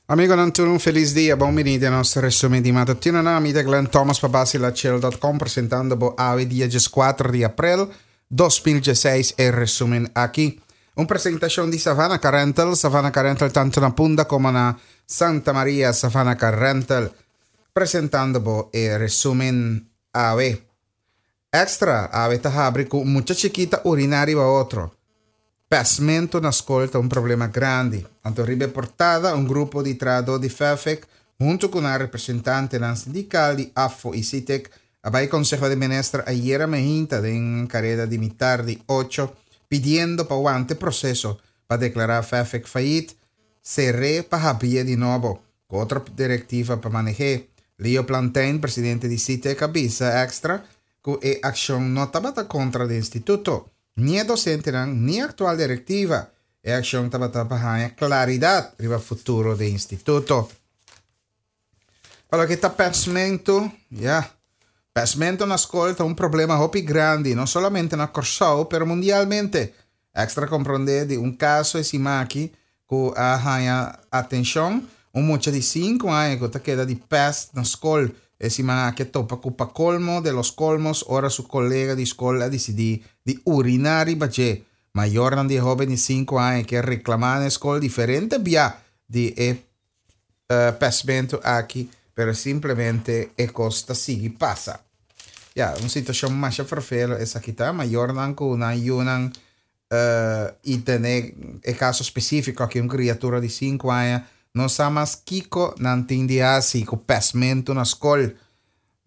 Amigonan tur un felis dia, bon bini den nos resumen di matutino. Nan ami ta Glenn Thomas pa basilachel.com presentando bo awe dia 14 di april 2016 e resumen aki. Un presentacion di Savannah Car Rental, Savannah Car Rental tanto na Punda como na Santa Maria, Savannah Car Rental presentando bo e resumen awe. Extra, awe ta habri ku mucha chikí ta uriná riba otro. Pèsmentu na skol ta un problema grandi. Anto riba e portada un grupo di trahadó di Fefec huntu ku nan representantenan sindikal di AFFO i Sitek a bai Konseho di Minister ayera mehinta den kareda di mitar di ocho pidiendo pa wanta e proseso pa deklará Fefec fayit, ser'é pa habrié di nobo. Ku otro direktiva pa maneh'é. Leo Plantijn, presidente di Sitek a bisa Extra ku e akshon no tabata kontra di instituto, ni e dosentenan ni aktual direktiva. E akshon tabata pa haña klaridat riba futuro di instituto. Pa loke ta pèsmentu, ya, pèsmentu na skol ta un problema hopi grandi, no solamente na Kòrsou, pero mundialmente. Extra komprondé di un kaso e siman aki ku a haña atenshon, un mucha di sinku aña ku ta keda di pèst na skol e siman aki a topa ku pa kolmo de los kolmos ora su kolega di skol a disidí di uriná riba dje. Mayornan di e hóben di sinku aña ke reklamá na e skol diferente bia di e pèstmentu aki, pero simplemente e kos ta sigui pasa. Ya, un situashon masha ferfelo esaki ta, mayornan ku nan yunan i tene e kaso spesífiko aki un kriatura di sinku aña no sa mas kiko nan tin di hasi ku pèstmentu na skol.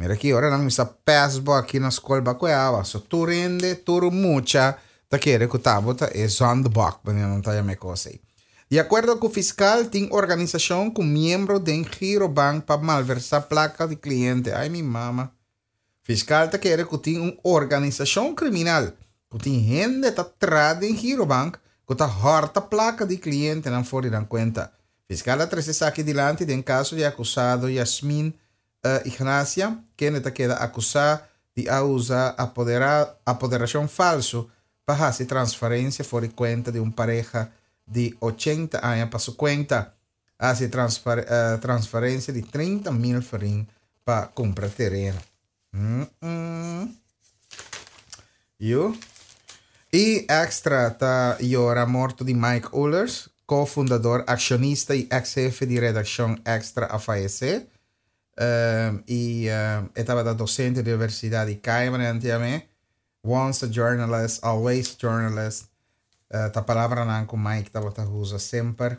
Mira ki ora nan kuminsá pès bo aki na skol ba ku e awa. So tur hende, tur mucha ta kere ku ta bo ta e zondbok, manera nan ta yama e kos ei. Di akuerdo ku fiskal tin organisashon ku miembro den Girobank pa malversá plaka di kliente. Ai mi mama. Fiskal ta kere ku tin un organisashon kriminal ku tin hende ta tra den Girobank ku ta hòrta plaka di klientenan for di nan kuenta. Fiskal a trese esaki dilanti den kaso di e akusado Yasmin Ignacia, kende ta keda akusá di a usa apoderashon falsu pa hasi transferensia for di kuenta di un pareha di ochenta aña pa su kuenta. A hasi transferensia di 30 mil florin pa kumpra tereno. Yu. I Extra ta yora morto di Mike Oelers, ko-fundador, akshonista i eks-hefe di redakshon Extra a fayesé. I e tabata dosente di Universidat di Cayman antiame. Once a journalist, always a journalist. Ta palabranan ku Mike tabata usa semper.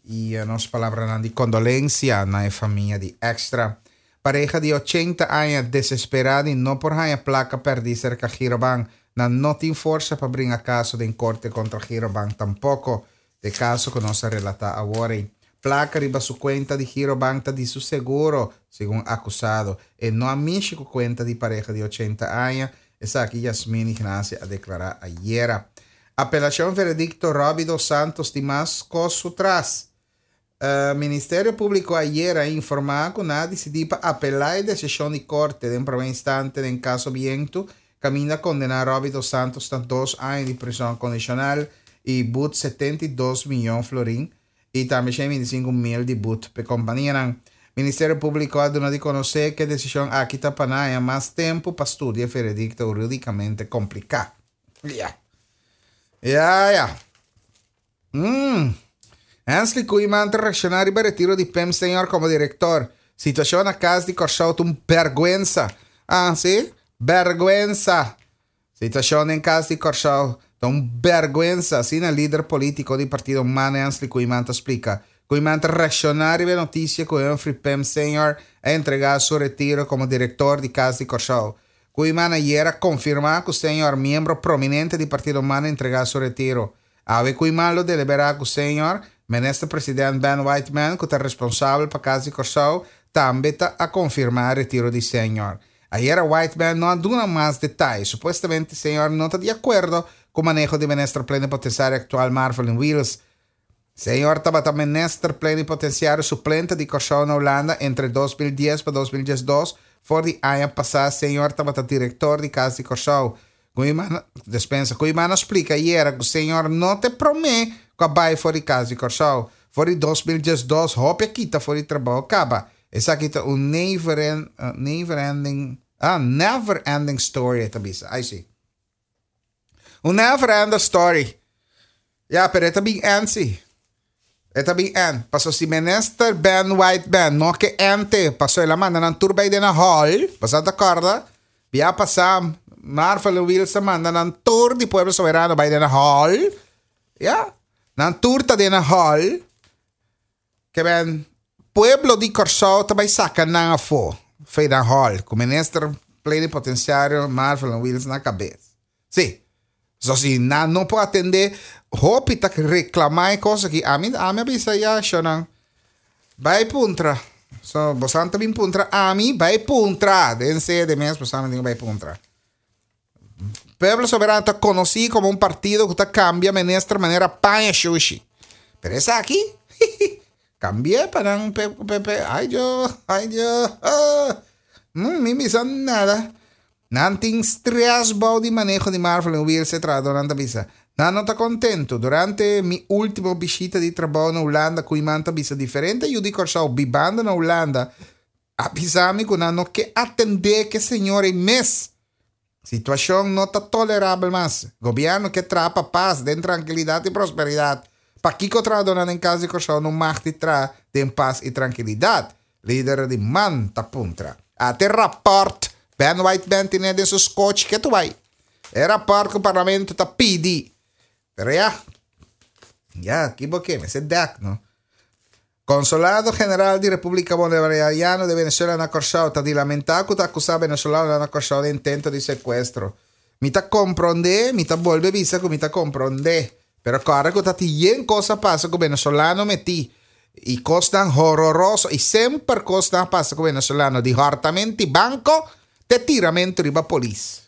I nos palabranan di kondolensia na e famia di Extra. Pareha di ochenta aña desesperá di no por haña plaka pèrdí serka Girobank. Nan no tin forsa pa bringa kaso den korte kontra Girobank tampoko. E kaso ku nos a relatá awor ei. Plaka riba su kuenta di Girobank ta di su seguro, segun akusado. E no a mishi ku kuenta di pareha di ochenta aña, esaki Yasmin Ignacia a deklará ayera. Apelashon veredikto Robbie dos Santos tin mas kos su tras. Ministerio Públiko ayera a informá ku nan a disidí pa apelá e desishon di korte den promé instante den kaso Bientu, kaminda a kondená Robbie dos Santos na dos aña di prison kondishonal i but 72 miyon florin i tambe 125 mil di but p'e kompanianan. Ministerio Públiko a duna di konosé ku e desishon aki ta pa nan haña mas tempu pa studia e veredikto hurídikamente kompliká. Ya. Ya, ya. Mm. Hensley Koeiman ta reacciona riba retiro di Pim Senior como director. Situacion na Cas di Corsou ta un berguensa. Ah, si? Berguensa. Situacion den Cas di Corsou ta un berguensa, asina lider politico di partido man Hensley Koeiman ta splica. Koeiman ta reacciona riba e noticia cu Humphrey Pim Senior a entrega su retiro como director di Cas di Corsou. Koeiman ayer a confirma cu Senior, miembro prominente di partido man, a entrega su retiro. Awe Koeiman lo deliberá ku señor Minister President Ben Whiteman ku ta responsabel pa Kas di Kòrsou tambe ta a konfirmá retiro di señor. Ayera Whiteman no a duna mas detaye. Supuestamente señor no ta di akuerdo ku maneho di Minister Plenipotensiario aktual Marvelyne Wiels. Señor tabata Minister Plenipotensiario suplente di Kòrsou na Hulanda entre 2010 pa 2012. For di aña pasá señor tabata direktor di Kas di Kòrsou. Koeiman, despensa, Koeiman a splika ayera ku señor no ta e promé ku a bai for di Kas di Kòrsou. For di 2012 hopi a kita for di trabou kaba. Esaki ta un never never ending ah never ending story e ta bisa. Ai si. Un never ending story. Ya, pero e ta bin end si. E ta bin end. Paso si minister Ben Whiteman no ke ente, paso el a manda nan tur bai den a hall, boso ta korda? Bia pasa Marvelyne Wiels a manda nan tur di Pueblo Soberano bai den a hall. Ya, nan tur ta den a hall. Ke ben pueblo di Kòrsou ta bai saka nan afó fei nan hall ku minister plenipotensiario Marvelyne Wiels na kabes. Sí. So si nan no por atendé, hopi ta reklamá e kos aki. Ami ami a bisa ya shownan bai puntra. So bosan ta bin puntra ami, bai puntra den sede mes bosan tin ku bai puntra. Pueblo Soberano ta konosí komo un partido ku ta kambia minister manera paña shushi. Pero esaki, kambi'é pa nan pe pe pe ay Dios, ay Dios, mm, mi bisa nada. Nan tin stress bou di maneho di Marvelyne Wiels, e trahadónan ta bisa. Nan no ta kontentu. Durante mi último bishita di trabou na Hulanda, Koeiman ta bisa diferente yu di Kòrsou bibando na Hulanda A bisa mi ku nan no ke atendé ku e señor ei mes. Situashon no ta tolerabel mas. Gobièrnu ke traha pa pas, den trankilidat i prosperidat. Pakiko trahadónan den Kas di Kòrsou no mag di traha den pas i trankilidat? Lider di man ta puntra. Ate rapòrt Ben Whiteman tine den su skochi ke tu bai. E rapòrt ku parlamento ta pidi. Pero ya, ya, ki bo ke? Mester dèk, no? Konsolado General di Repúblika Bolivariano de Venezuela na Kòrsou ta di lamentá ku ta akusá venezolanonan na Kòrsou di intento di sekuestro. Mi ta komprondé, mi ta bolbe bisa ku mi ta komprondé, pero kòrda ku ta tin yen kos a pasa ku venezolano metí i kosnan hororoso i semper kosnan a pasa ku venezolano di hòrtamento di banko te tiramentu riba polis.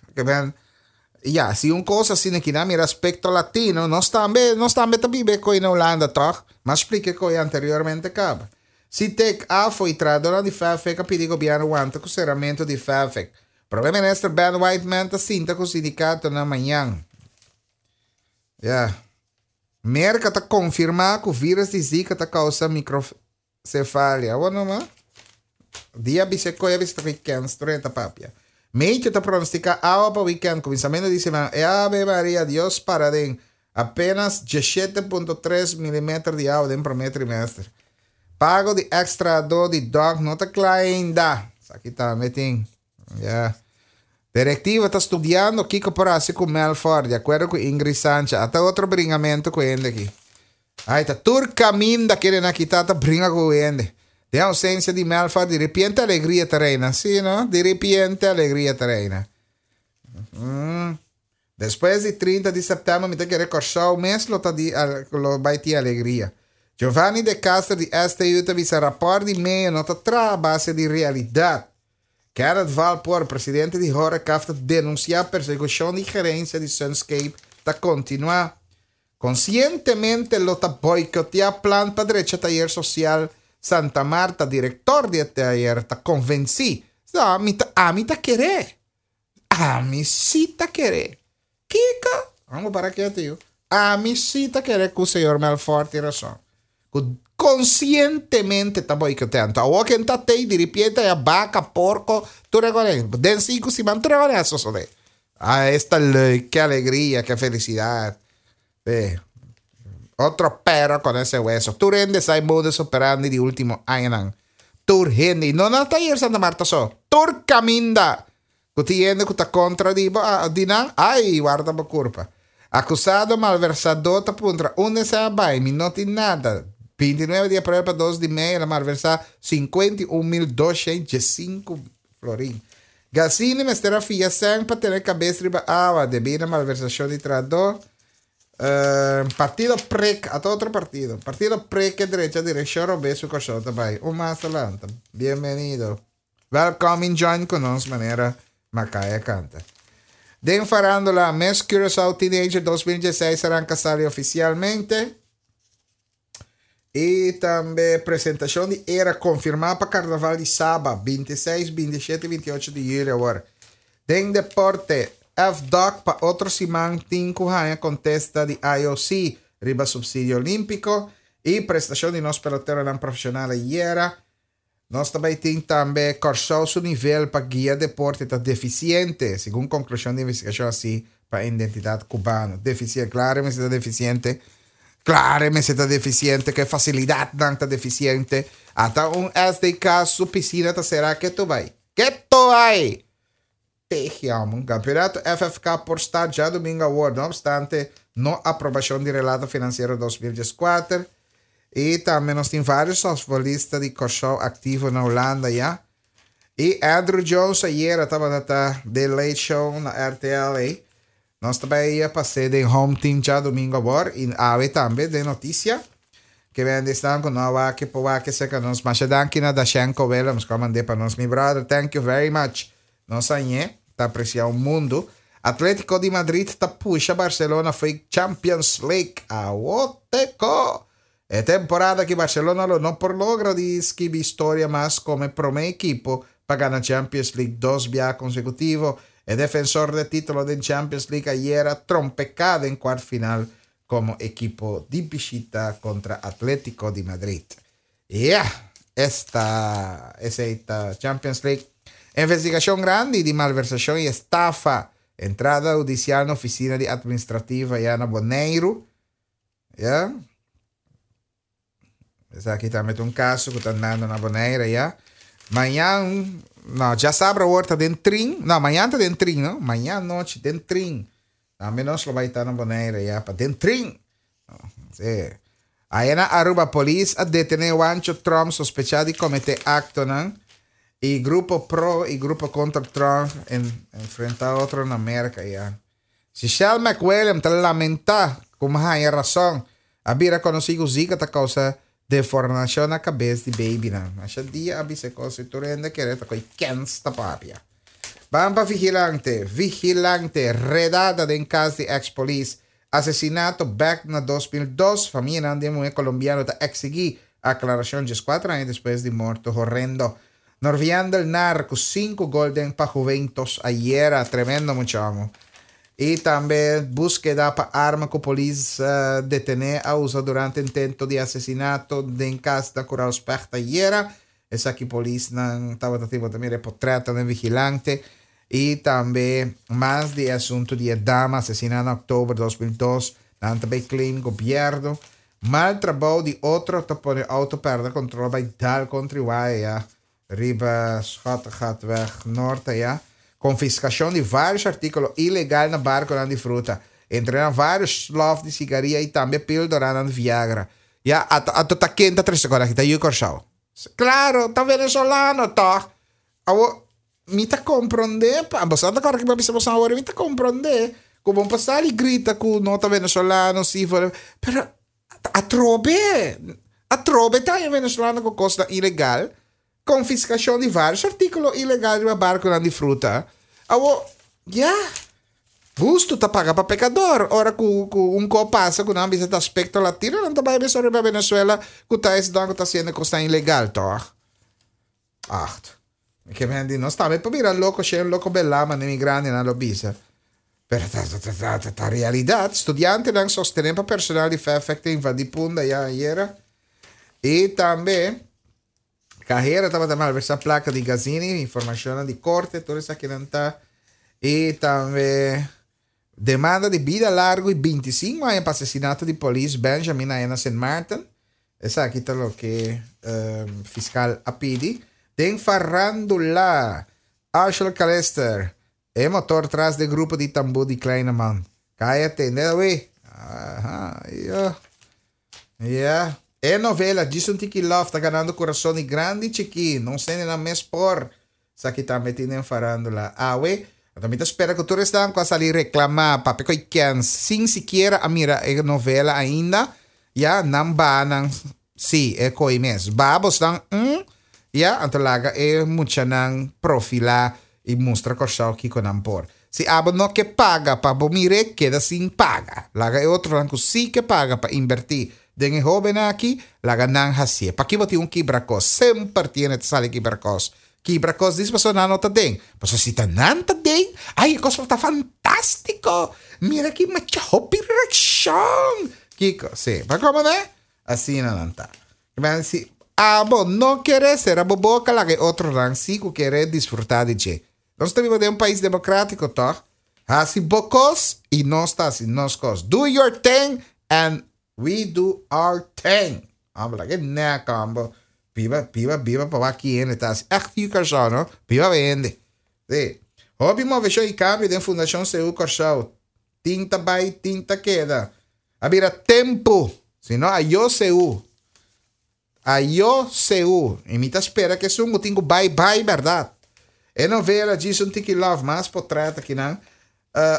Ya, si un kos asina ki nan mira aspekto latino, nos tambe, nos tambe ta biba e koi na Hulanda, tòg? M'a splika e koi anteriormente kaba. Si tek, afo i trahadónan di FAFEC a pidi gobièrnu wanta ku seramentu di FAFEC. Prome Minister Ben Whiteman ta sinta ku sindikatonan mañan. Ya. Merka ta konfirmá ku vírus di Zika ta kousa mikro. Cefalia. Awor no ma. Dia bisa koe a bisa ta weekend strenta papia. Meitje ta pronostica awa pa weekend kuminsamentu di siman. E Ave Maria Dios para den apenas 17.3 milimeter di awa den prome trimester. Pago di extra do di dog no ta kla ainda. Esaki tambe tin. Ya. Directiva ta studiando kiko por hasi ku Melfor, di akuerdo ku Ingrid Sancha. Ata otro bringamentu ku hende aki. Ai, ta tur kaminda kende nan kita ta bringa ku hende. Den ausencia di Melfor, di repente alegria ta reina. Sí, no? Di repente alegria ta reina. Mm. Despues di 30 di sèptèmber mi ta kere Kòrsou mes lo ta di lo bai tin alegria. Giovanni de Castro di STU ta bisa rapòrt di meo no ta traha a base di realidat. Kenneth Valpoort, presidente di Horecaf ta denunsiá persekushon di gerensia di Sunscape ta kontinuá. Konsientemente lo ta boikoteá plan pa drecha tayer sosial Santa Marta, direktor di e tayer ta konvensí. Ami ta ami ta kere. Ami sí ta kere. Kiko? Amo para ketu yu. Ami sí ta kere ku señor Melfort tin rason. Ku konsientemente ta boikotea. Anto awor ken ta tei diripiente haya baka, porko, tur e kos. Den sinku siman tur e kos a sosode. Ah, esta leuk, ke alegria, ke felisidat. Sí. Otro perro con ese hueso. Tur hende sa e modus operandi di último añanan. Tur hende. Y no na taller Santa Marta so. Tur caminda. Ku tin hende ku ta kontra di bo, ah, di nan, ai, warda bo kurpa. Akusado malversadó ta puntra, Unda esei a bai? Mi no tin nada. 29 di aprel pa 2 di mei el a malversá 51.215 florin. Gazini mester a fia sèn pa tene kabes riba awa debí na malversashon di trahadó. Partido Prek, ata otro partido. Partido Prek ke drecha direkshon robes su Kòrsou ta bai. Un mas ta lanta. Bienvenido. Welkom in join ku nos manera Makaya kanta. Den farándula, Miss Curaçao Teenager 2016 a ranka sali ofisialmente. I tambe presentashon di era konfirmá pa Karnaval di Saba, 26, 27 i 28 di yüli awor. Den deporte, FDOC pa otro siman tin ku haña kontesta di IOC riba supsidio olímpiko. I prestashon di nos peloteronan profeshonal ayera. Nos ta bai tin tambe Kòrsou su nivel pa guia deporte ta defisiente, segun konklushon di investigashon hasi pa Identidat Kubano. Defisiente, klaro e mester ta defisiente. Klaro e mester ta defisiente, ku e fasilidatnan ta defisiente. Ata un SDK su pisina ta será ketu bai. Ketu bai! Tehiam. Campeonato FFK por start djadomingo awor, no obstante no aprobacion di relato financiero 2014. Y tambe nos tin varios softballista di Kòrsou activo na Hulanda ya. Y Andrew Jones ayera tabata ta den Late Show na RTL ey. Nos ta bay pas'é den Home Team djadomingo awor y awe tambe den noticia. Ke bende esnan ku no a wak por wak cerca nos. Masha danki na Dashenko Willems ku a mand'é pa nos. Mi brother, thank you very much. Nos añe ta aprecia un mundo. Atletico di Madrid ta pusha Barcelona fo'i Champions League. Awo teko! E temporada aki Barcelona lo no por logra di skibi historia mas como e prome ekipo pa gana Champions League dos biaha consecutivo. E defensor d'e titulo den Champions League ayera trompeca den cuart final como ekipo di bishita contra Atletico di Madrid. Yeah! Esta, esey ta Champions League. Investigacion grandi di malversacion y estafa. Entrada hudicial na oficina di administrativa ya na Boneiru. Ya. Esaki tambe ta un caso cu ta andando na Bonaire ya. Mañan, no, djasabra awor ta den trin. No, mañan ta den trin, no? Mañan nochi den trin. Tambe nos lo bai ta na Bonaire ya pa den trin. Sí. Aya na Aruba polis a detene Wancho Trump sospecha di comete actonan y grupo pro y grupo contra Trump en, enfrenta otro na Merca ya. Shishel McWilliam ta lamentá ku mi haña rason. A bira konosí ku Zika ta kousa deformashon na kabes di beibinan. Masha dia a bisa e kos i tur hende kere ta ko'i kens ta papia. Ban pa Vigilante, Vigilante, redada den kas di eks polis, asesinato bèk na 2002, famianan di e muhé kolombiano ta eksigí aklarashon 14 aña despues di morto horrendo. Norviandel Nar cu 5 gol den pa Juventus ayera, tremendo muchacho. Y tambe busqueda pa arma cu polis detene a usa durante intento di asesinato den cas na Curao Specht ayera. Esaki polisnan tabata tin, bo ta mira e potretnan den vigilante. Y tambe mas di e asunto di e dama asesina na october 2002, nan ta bay claim gobierno. Mal trabou di otro ta pone auto perde control bay dal contra y waya riba Schottegatweg Noord aya. Confiscacion di varios articulo ilegal na barconan di fruta, entre nan varios slof di sigaria y tambe pildoranan di Viagra. Ya, ato ato ta ken ta trece cos aki? Ta yu Corsou. Claro, ta venezolano toch? Awo, mi ta comprende, pa, boso a ta corda ki mi a bisa boso awor, mi ta comprende cu bo por sali grita cu no ta venezolano, si, pero atrobe, atrobe ta e venezolano cu cosnan ilegal, confiscacion di varios articulo ilegal riba barconan di fruta. Awo, ya, husto ta paga pa pecador, ora cu, cu un co pasa cu nan bisa ta aspecto latino, nan ta bay bisa riba Venezuela cu ta esnan cu ta haciendo cosnan ilegal, toch? Acht. Mi ke men di nos tambe por bira loko she un loko belá mane mi grandinan lo bisa. Pero ta ta ta ta ta ta realidat. Studiantenan sostené pa personal di FEFEK ta invadí Punda ya ayera. I tambe kahera tabata malversá plaka di Gazini, informashonnan di korte, tur esakinan ta. I tambe demanda di bida largu i 25 aña pa asesinato di polis Benjamin aya na Sint Maarten. Esaki ta loke fiscal a pidi. Den farandula, Arshel Calister, e motor tras den grupo di tambú di Kleine Man. Caya tende awe. Aha, yo. Ya. E novela Djis un Tiki Love ta ganando curason di grandi y chikí. Nos hendenan mes por. Esaki tambe tin den farandula awe. Anto mi ta spera ku tur esnan ku a sali reklamá papia ku e kens sin sikiera a mira e novela ainda, ya, nan baha nan sí, e koi mes. Baha bosnan un, ya, anto laga e muchanan profilá i mustra Kòrsou kiko nan por. Si abo no ke paga pa bo mir'é, keda sin paga. Laga e otronan ku sí ke paga pa inbertí den e hóbennan aki, laga nan hasié. Pakí bo tin un kibrakos? Semper tiene ta sali kibrakos. Kibrakos dis pasobra nan no ta den. Pasobra si ta nan ta den, ay e kos lo ta fantástiko! Mira ki macha hopi reakshon! Kiko? Sí. Pa komo ne? Asina nan ta. Men si abo no kere sera bo boka laga e otronan si ku kere disfruta di dje. Nos ta biba den un pais demokratiko tòg? Hasi bo kos i nos ta hasi nos kos. Do your thing and we do our thing. Abo laga e nèk abo. Biba, biba, biba pa wak ki hende ta hasi. Ègt yu Kòrsou no. Biba pa hende. Sí. Hopi moveshon i kambio den Fundashon Seú Kòrsou. Tin ta bai, tin ta keda. A bira tempu. Si no, ayo Seú. Ayo Seú. I mi ta spera ku esun ku tin ku bai, bai bèrdat. E novela Djis un Tiki Love mas potrèt akinan.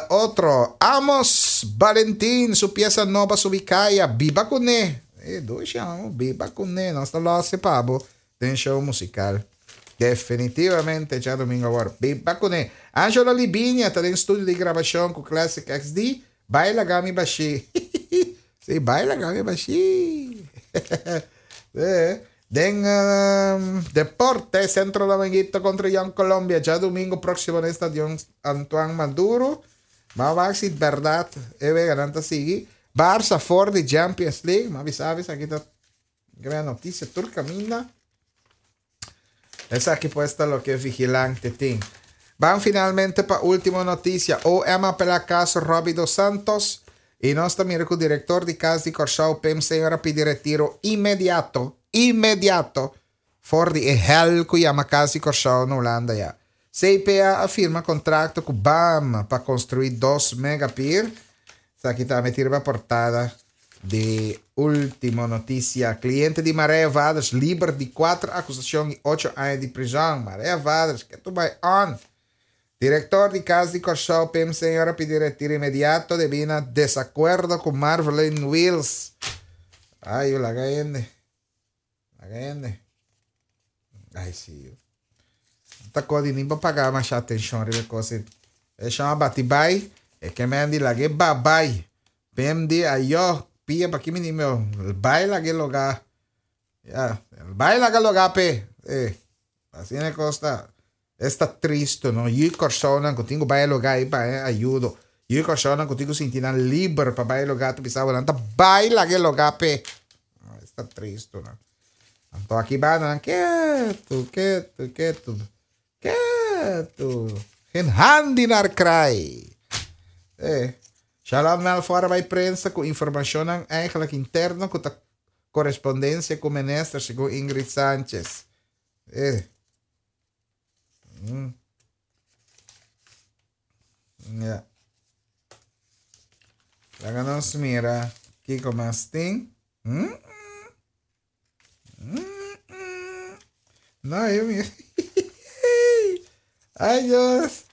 Otro, Amos Balentin su piesa nobo a subi kaya, Biba Kuné. E dushi amo, Biba Kuné. Nos ta lòs e pa bo den show musikal. Definitivamente djadumingu awor. Biba Kuné. Angelo Libinia ta den studio di grabashon ku Classic XD. Bai laga mi bashí. Sí, bai laga mi bashí. Sí. Den deporte, Centro Dominguito contra Young Colombia djadumingu próximo den Stadion Antoine Maduro. M'a wak si bèrdat e weganan ta sigui. Barça for di Champions League. M'a bisa esaki ta gran notisia tur kaminda. Esaki pues ta loke Vigilante tin. Ban finalmente pa ultimo noticia. OM apela caso Robbie dos Santos y nos ta mira cu director di Cas di Corsou Pim Señor a pidi retiro inmediato, inmediato, for di e hel cu yama Cas di Corsou na Hulanda ya. CPA a firma contracto cu bam pa construi dos megapier. Esaki tambe tin riba portada di Ultimo Noticia. Cliente di Marije Vaders liber di cuatro acusacion y ocho aña di prison. Marije Vaders, ke tu bay on? Director di Cas di Corsou, Pim Señor a pidi retiro inmediato debi na desacuerdo cu Marvelyne Wiels. Ay, laga hende. Laga hende. Ay, sí. Ta kodi ni pa paga masha atenshon riba e kos ei. E shon a bati bai, e ke men di lag'é ba bai. Pem di ayo, pia pa ki mi di meu, bai lag'é logá. Ya, bai laga logá p'e. Eh, asina e kos ta. Esta tristo no, yu Kòrsounan ku tin ku bai e lugá ei pa haña ayudo, yu Kòrsounan ku tin ku sinti nan liber pa bai e lugá ta bisa bo nan ta bai laga e lugá p'e. Esta tristo no. Anto aki banda nan ketu, ketu, ketu, ketu. Geen hand die naar kraai. Eh, Shalom Melfor a bai prensa ku informashonnan eigenlijk interno ku ta korespondensia ku minister segun Ingrid Sanchez. Eh. Mm. Ja. Laga nos mira kiko mas tin. Mm. Mm. No, yo mira. Ay, Dios.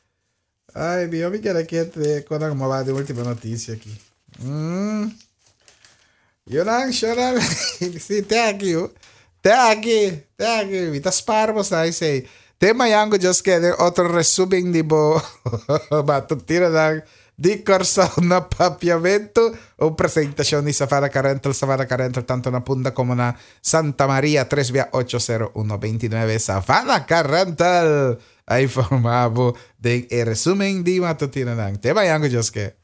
Ay, mi mi quiere que te cuando como va de última noticia aquí. Mm. Yonan, shonan. Sí, te aki, oh. Te aki, te aki. Mi ta spar bo sa sei. Te mañan ku Dios kere otro resumen di bo matutinonan di Kòrsou na Papiamentu. Un presentashon di Savannah Car Rental, Savannah Car Rental tanto na Punda komo na Santa Maria, 3 bia 8 0 1 29. Savannah Car Rental a informá bo den e resumen di matutinonan. Te mañan ku Dios ke.